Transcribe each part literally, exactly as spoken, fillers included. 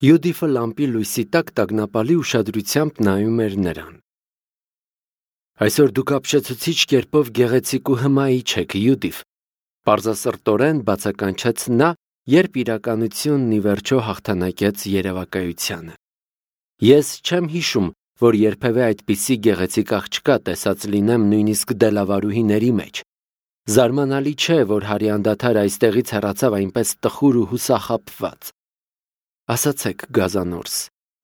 Յուդիֆը լամպի լույսի տակ տագնապալի ուշադրությամբ նայում էր նրան։ Այսօր դուք ապշեցուցիչ կերպով գեղեցիկ ու հմայիչ եք, Յուդիֆ, պարզասրտորեն բացականչեց նա, երբ իրականությունն ի վերջո հաղթանակեց երևակայությանը։ Ես չեմ հիշում, որ երբևէ այդպիսի գեղեցիկ աղջկա տեսած լինեմ նույնիսկ դելավարուհիների մեջ։ Զարմանալի չէ, որ հարի անդադար այստեղից հեռացավ այնպես տխուր ու հուսախաբված։ Ասացեք, Գազանորս,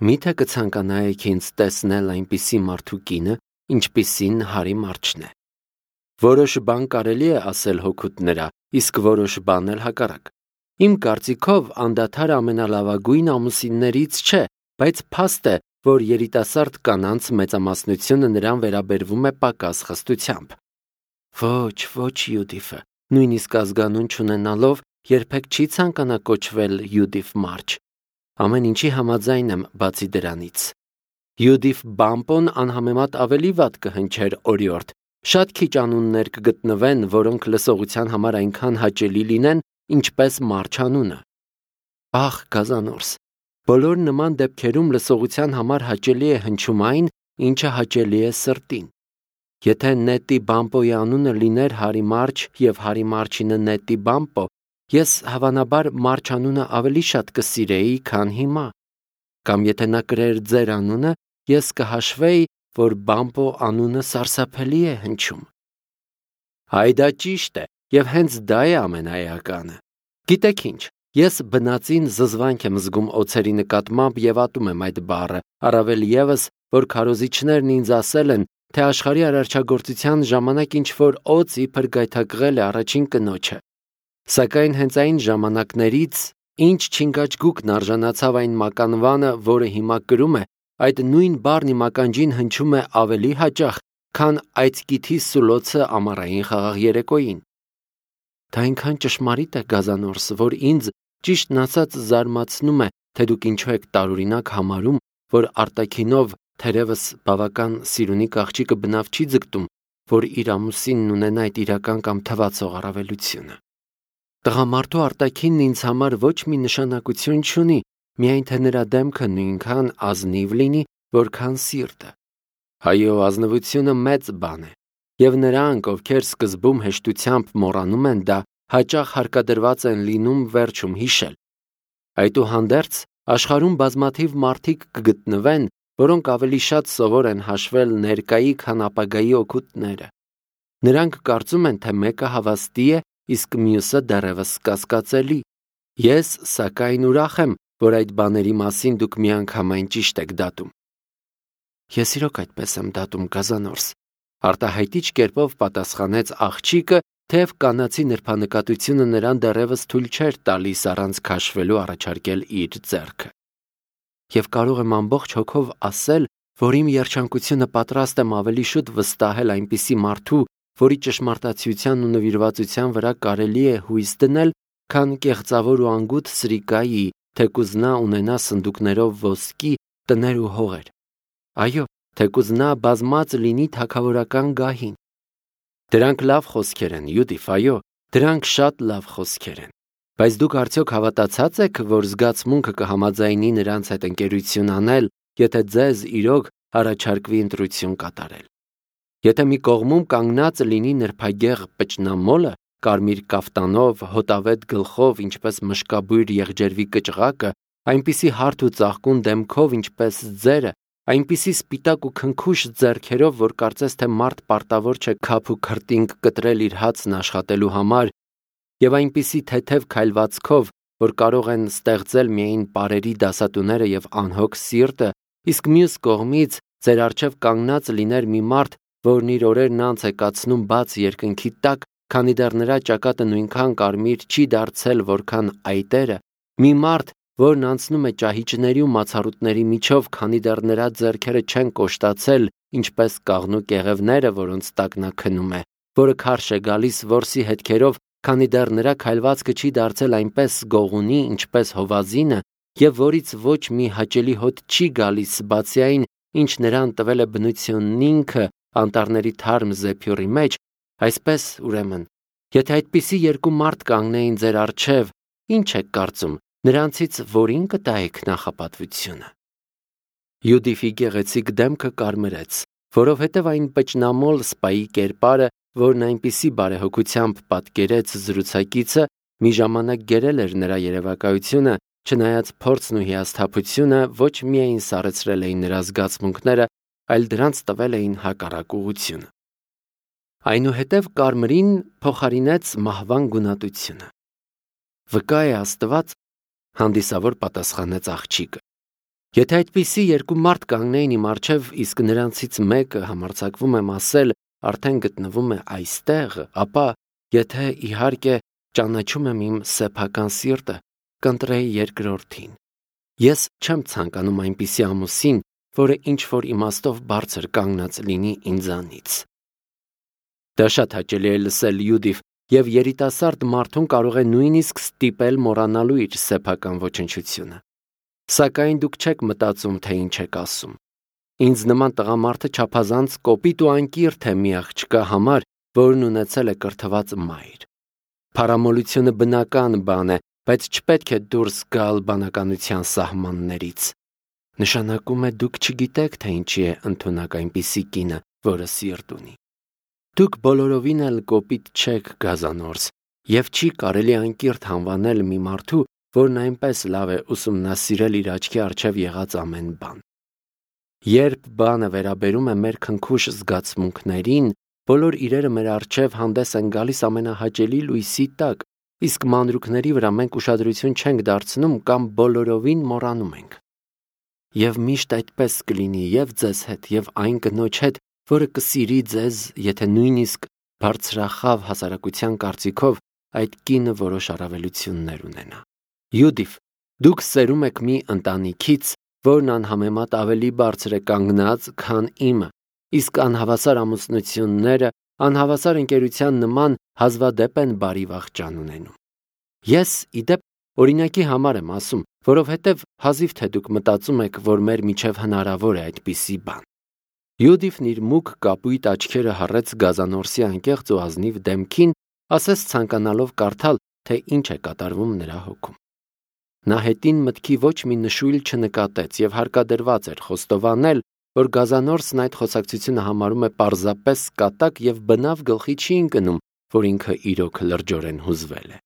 միթե կցանկանայիք ինձ տեսնել այնպիսի մարդու կինը, ինչպիսին հարի մարչն է։ Որոշ բան կարելի է ասել հօգուտ նրա, իսկ որոշ բան էլ հակառակ։ Իմ կարծիքով անդադար ամենալավագույն ամուսիններից չէ, բայց փաստ է, որ երիտասարդ կանանց մեծամասնությունը նրան վերաբերվում է պակաս խստությամբ։ Ոչ, ոչ, Յուդիֆը, նույնիսկ ազգանուն չունենալով, երբեք չի ցանկանա կոչվել Յուդիֆ մարչ։ Ամեն ինչի համաձայն եմ, բացի դրանից։ Յուդիֆ Բամպոն անհամեմատ ավելի վատ կհնչեր օրիորդ։ Շատ քիչ անուններ կգտնվեն, որոնք լսողության համար այնքան հաճելի լինեն, ինչպես մարչ անունը։ Ախ, Գազանորս, բոլոր նման դեպքերում լսողության համար հաճելի է հնչում այն, ինչը հաճելի է սրտին։ Եթե Նետի Բամպոյի անունը լիներ Հարի Մարչ եւ Հարի Մարչինը Նետի Բամպո, ես հավանաբար Մարչ անունը ավելի շատ կսիրեի, քան հիմա։ Կամ եթե նա կրեր ձեր անունը, ես կհաշվեի, որ Բամպո անունը սարսափելի է հնչում։ Հայ դա ճիշտ է, եւ հենց դա է ամենաէականը։ Գիտեք ինչ, ես բնածին զզվանք եմ զգում օձերի նկատմամբ եւ ատում եմ այդ բառը, առավել եւս, որ քարոզիչներն ինձ ասել են, թե աշխարհի արարչագործության ժամանակ ինչ-որ օձ իբր գայթակղել է առաջին կնոջը։ Սակայն հենց այն ժամանակներից, ինչ չինգաչգուկն արժանացավ այն մականվանը, որը հիմա կրում է, այդ նույն բառն իմ ականջին հնչում է ավելի հաճախ, քան այծկիթի սուլոցը ամառային խաղաղ երեկոյին։ Դա այնքան ճշմարիտ է, Գազանորս, որ ինձ ճիշտն ասած զարմացնում է, թե դուք ինչու եք տարօրինակ համարում, որ արտաքինով թերևս բավական սիրունիկ աղջիկը բնավ չի ձգտում, որ իր ամուսինն ունենա այդ իրական կամ թվացող առավելությունը։ Տղամարդու արտաքինն ինձ համար ոչ մի նշանակություն չունի, միայն թե նրա դեմքը նույնքան ազնիվ լինի, որքան սիրտը։ Հայո, ազնվությունը մեծ բան է, եւ նրանք, ովքեր սկզբում հեշտությամբ մոռանում են դա, հաճախ հարկադրված են լինում վերջում հիշել։ Այդուհանդերձ, աշխարհում բազմաթիվ մարդիկ կգտնվեն, որոնք ավելի շատ սովոր են հաշվել ներկայի, քան ապագայի օգուտները։ Նրանք կարծում են, թե մեկը հավաստի է, իսկ մյուսը դեռևս կասկածելի։ Ես, սակայն, ուրախ եմ, որ այդ բաների մասին դուք միանգամայն ճիշտ եք դատում։ Ես իրոք այդպես եմ դատում, Գազանորս, արտահայտիչ կերպով պատասխանեց աղջիկը, թեև կանացի նրբանկատությունը նրան դեռևս թույլ չէր տալիս առանց քաշվելու առաջարկել իր ձեռքը։ Եվ կարող եմ ամբողջ հոգով ասել, որ իմ երջանկությունը պատրաստ եմ ավելի շուտ վստահել այնպիսի մարդու, որի ճշմարտացիության ու նվիրվածության վրա կարելի է հույս դնել, քան կեղծավոր ու անգութ սրիկայի, թեկուզ նա ունենա սնդուկներով ոսկի, տներ ու հողեր։ Այո, թեկուզ նա բազմած լինի թագավորական գահին։ Դրանք լավ խոսքեր են, Յուդիֆ, այո, դրանք շատ լավ խոսքեր են։ Բայց դուք արդյոք հավատացած եք, որ զգացմունքը կհամաձայնի նրանց հետ ընկերություն անել, եթե ձեզ իրոք առաջարկվի ընտրություն կատարել։ Եթե մի կողմում կանգնած լինի նրբագեղ պճնամոլը, կարմիր կաֆտանով, հոտավետ գլխով, ինչպես մշկաբույր եղջերվի կճղակը, այնպիսի հարթ ու ծաղկուն դեմքով, ինչպես ձերը, այնպիսի սպիտակ ու քնքուշ ձեռքերով, որ կարծես թե մարդ պարտավոր չէ քափ ու քրտինք կտրել իր հացն աշխատելու համար, եւ այնպիսի թեթև քայլվածքով, որ կարող են ստեղծել միայն պարերի դասատուները եւ անհոգ սիրտը, իսկ մյուս կողմից ձեր առջև կանգնած լիներ մի մարդ, որն իր օրերն անց է կացնում բաց երկնքի տակ, քանի դեռ նրա ճակատը նույնքան կարմիր չի դարձել, որքան այտերը, մի մարդ, որն անցնում է ճահիճների ու մացառուտների միջով, քանի դեռ նրա ձեռքերը չեն կոշտացել, ինչպես կաղնու կեղևները, որոնց տակ նա քնում է, որը քարշ է գալիս որսի հետքերով, քանի դեռ նրա քայլվածքը չի դարձել այնպես գողունի, ինչպես հովազինը, եւ որից ոչ մի հաճելի հոտ չի գալիս, բացի այն, ինչ նրան տվել է բնությունն ինքը անտառների թարմ զեփյուռի մեջ, այսպես, ուրեմն, եթե այդպիսի երկու մարդ կանգնեին ձեր առջև, ինչ եք կարծում, Նրանցից որին կտայեք նախապատվությունը։ Յուդիֆի գեղեցիկ դեմքը կարմրեց, որովհետև այն պճնամոլ սպայի կերպարը, որն այնպիսի բարեհոգությամբ պատկերեց զրուցակիցը, մի ժամանակ գերել էր նրա երևակայությունը, չնայած փորձն ու հիասթափությունը ոչ միայն սառեցրել էին նրա զգացմունքները, այլ դրանց տվել էին հակառակ ուղղություն։ Այնուհետև կարմրին փոխարինեց մահվան գունատությունը։ Վկա է Աստված, հանդիսավոր պատասխանեց աղջիկը։ Եթե այդպիսի երկու մարդ կանգնեին իմ առջև, իսկ նրանցից մեկը համարձակվում եմ ասել, արդեն գտնվում է այստեղ, ապա, եթե իհարկե ճանաչում եմ իմ սեփական սիրտը, կընտրեի երկրորդին։ Ես չեմ ցանկանում այնպիսի ամուսին, որը ինչ-որ իմաստով բարձր կանգնած լինի ինձանից։ Դա շատ հաճելի է լսել, Յուդիֆ, եւ երիտասարդ մարդուն կարող է նույնիսկ ստիպել մոռանալու իր սեփական ոչնչությունը։ Սակայն դուք չեք մտածում, թե ինչ եք ասում։ Ինձ նման տղամարդը չափազանց կոպիտ ու անկիրթ է մի աղջկա համար, որն ունեցել է կրթված մայր։ Փարամոլությունը բնական բան է, բայց չպետք է դուրս գալ բանականության սահմաններից։ Նշանակում է դուք չգիտեք, թե ինչի է ընդունակ այնպիսի կինը, որը սիրտ ունի։ Դուք բոլորովին էլ կոպիտ չեք, Գազանորս, եւ չի կարելի անկիրթ անվանել մի մարդու, որն այնպես լավ է ուսումնասիրել իր աչքի առջև եղած ամեն բան։ Երբ բանը վերաբերում է մեր քնքուշ զգացմունքներին, բոլոր իրերը մեր առջև հանդես են գալիս ամենահաճելի լույսի տակ, իսկ մանրուքների վրա մենք ուշադրություն չենք դարձնում կամ բոլորովին մոռանում ենք։ Եվ միշտ այդպես կլինի եւ ձեզ հետ, եւ այն կնոջ հետ, որը կսիրի ձեզ, եթե նույնիսկ բարձրախավ հասարակության կարծիքով այդ կինը որոշ առավելություններ ունենա։ Յուդիֆ, դուք սերում եք մի ընտանիքից, որն անհամեմատ ավելի բարձր է կանգնած, քան իմը, իսկ անհավասար ամուսնությունները անհավասար ընկերության նման հազվադեպ են բարի վախճան ունենում։ Ես, ի դեպ, օրինակի համար եմ ասում, որովհետև հազիվ թե դուք մտածում եք, որ մեր միջև հնարավոր է այդպիսի բան։ Յուդիֆն իր մուգ կապույտ աչքերը հառեց Գազանորսի անկեղծ ու ազնիվ դեմքին, ասես ցանկանալով կարդալ, թե ինչ է կատարվում նրա հոգում։ Նա հետին մտքի ոչ մի նշույլ չնկատեց եւ հարկադրված էր խոստովանել, որ Գազանորսն այդ խոսակցությունը համարում է պարզապես կատակ եւ բնավ գլխի չի ընկնում, որ ինքը իրոք լրջորեն հուզվել է։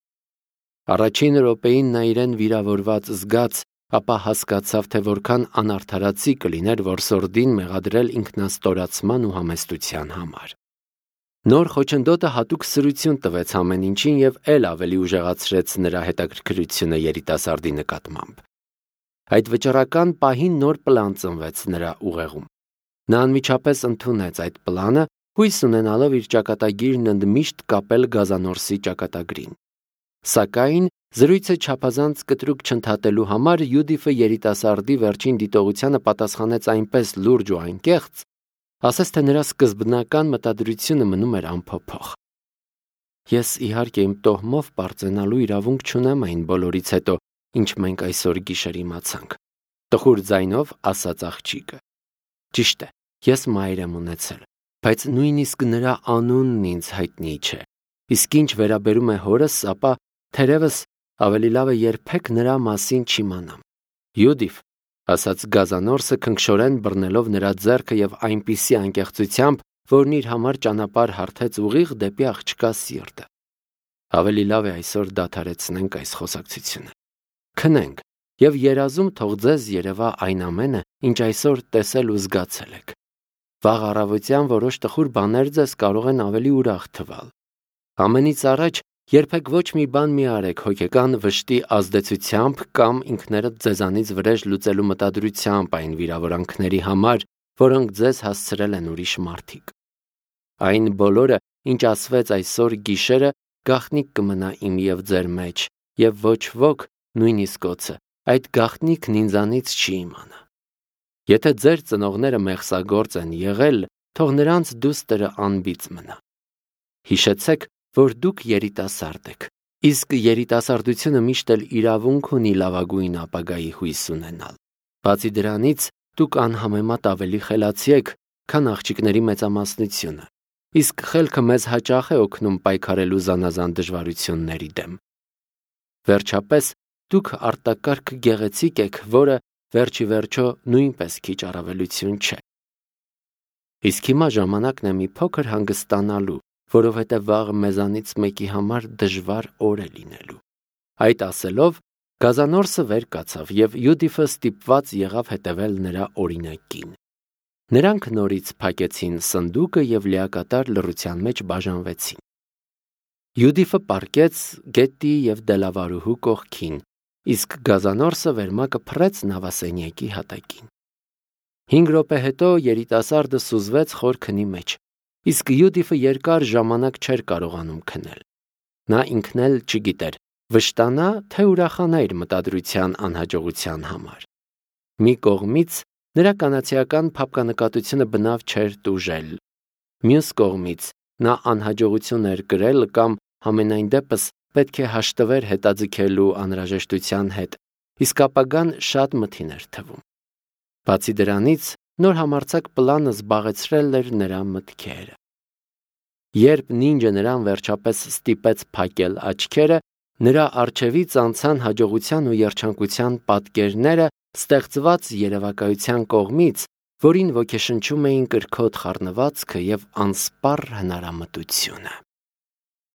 Առաջին րոպեին նա իրեն վիրավորված զգաց, ապա հասկացավ, թե որքան անարդարացի կլիներ որսորդին մեղադրել ինքնաստորացման ու համեստության համար։ Նոր խոչընդոտը հատուկ սրություն տվեց ամեն ինչին եւ ել ավելի ուժեղացրեց նրա հետաքրքրությունը երիտասարդի նկատմամբ։ Այդ վճռական պահին նոր պլան ծնվեց նրա ուղեղում։ Նա անմիջապես ընդունեց այդ պլանը, հույս ունենալով իր ճակատագիրն ընդմիշտ կապել Գազանորսի ճակատագրին։ Սակայն զրույցը չափազանց կտրուկ չընդհատելու համար Յուդիֆը երիտասարդի վերջին դիտողությանը պատասխանեց այնպես լուրջ ու անկեղծ, ասես թե նրա սկզբնական մտադրությունը մնում էր անփոփոխ։ Ես իհարկե իմ տոհմով պարծենալու իրավունք չունեմ այն բոլորից հետո, ինչ մենք այսօր գիշեր իմացանք, տխուր ձայնով ասաց աղջիկը։ Ճիշտ է, ես մայր եմ ունեցել, բայց նույնիսկ նրա անունն ինձ հայտնի չէ։ Իսկ ինչ վերաբերում է հորս, ապա թերևս ավելի լավ է երբեք նրա մասին չիմանամ։ Յուդիֆ, ասաց Գազանորսը քնքշորեն բռնելով նրա ձեռքը եւ այնպիսի անկեղծությամբ, որն իր համար ճանապարհ հարթեց ուղիղ դեպի աղջկա սիրտը։ Ավելի լավ է այսօր դադարեցնենք այս խոսակցությունը։ Քնենք եւ երազում թող ձեզ երևա այն ամենը, ինչ այսօր տեսել ու զգացել եք։ Վաղ առավոտյան որոշ տխուր բաներ ձեզ կարող են ավելի ուրախ թվալ։ Ամենից առաջ երբեք ոչ մի բան մի արեք հոգեկան վշտի ազդեցությամբ կամ ինքներդ ձեզանից վրեժ լուծելու մտադրությամբ այն վիրավորանքների համար, որոնք ձեզ հասցրել են ուրիշ մարդիկ։ Այն բոլորը, ինչ ասվեց այսօր գիշերը, գաղտնիք կմնա իմ եւ ձեր մեջ, եւ ոչ ոք, նույնիսկ օձը, այդ գաղտնիքն ինձանից չի իմանա։ Եթե ձեր ծնողները մեղսագործ են եղել, թող նրանց դուստրը անբիծ մնա։ Հիշեցեք, որ դուք երիտասարդ եք, իսկ երիտասարդությունը միշտ էլ իրավունք ունի լավագույն ապագայի հույս ունենալ։ Բացի դրանից, դուք անհամեմատ ավելի խելացի եք, քան աղջիկների մեծամասնությունը, իսկ խելքը մեզ հաճախ է օգնում պայքարելու զանազան դժվարությունների դեմ։ Վերջապես, դուք արտակարգ գեղեցիկ եք, որը վերջի վերջո նույնպես քիչ առավելություն չէ։ Իսկ հիմա ժամանակն է մի փոքր հանգստանալու, որովհետև վաղը մեզանից մեկի համար դժվար օր է լինելու։ Այդ ասելով, գազանորսը վեր կացավ և Յուդիֆը ստիպված եղավ հետևել նրա օրինակին։ Նրանք նորից փակեցին սնդուկը և լիակատար լռության մեջ բաժանվեցին։ Յուդիֆը պառկեց գետի և դելավարուհու կողքին, իսկ գազանորսը վերմակը փռեց նավասենյակի հատակին։ Հինգ րոպե հետո երիտասարդը սուզվեց խոր քնի մեջ, իսկ Յուդիֆը երկար ժամանակ չէր կարողանում քնել։ Նա ինքն էլ չգիտեր վշտանա, թե ուրախանա իր մտադրության անհաջողության համար։ Մի կողմից նրա կանացիական փափկանկատությունը բնավ չէր տուժել։ Մյուս կողմից նա անհաջողություն էր կրել կամ համենայն դեպս պետք է հաշտվեր հետաձգելու անհրաժեշտության հետ, իսկ ապագան շատ մթին էր թվում։ Բացի դրանից, նոր համարձակ պլանը զբաղեցրել էր նրա մտքերը։ Երբ նինջը նրան վերջապես ստիպեց փակել աչքերը, նրա առջևից անցան հաջողության ու երջանկության պատկերները ստեղծված երևակայության կողմից, որին ոգեշնչում էին կրքոտ խառնվածքը և անսպառ հնարամտությունը։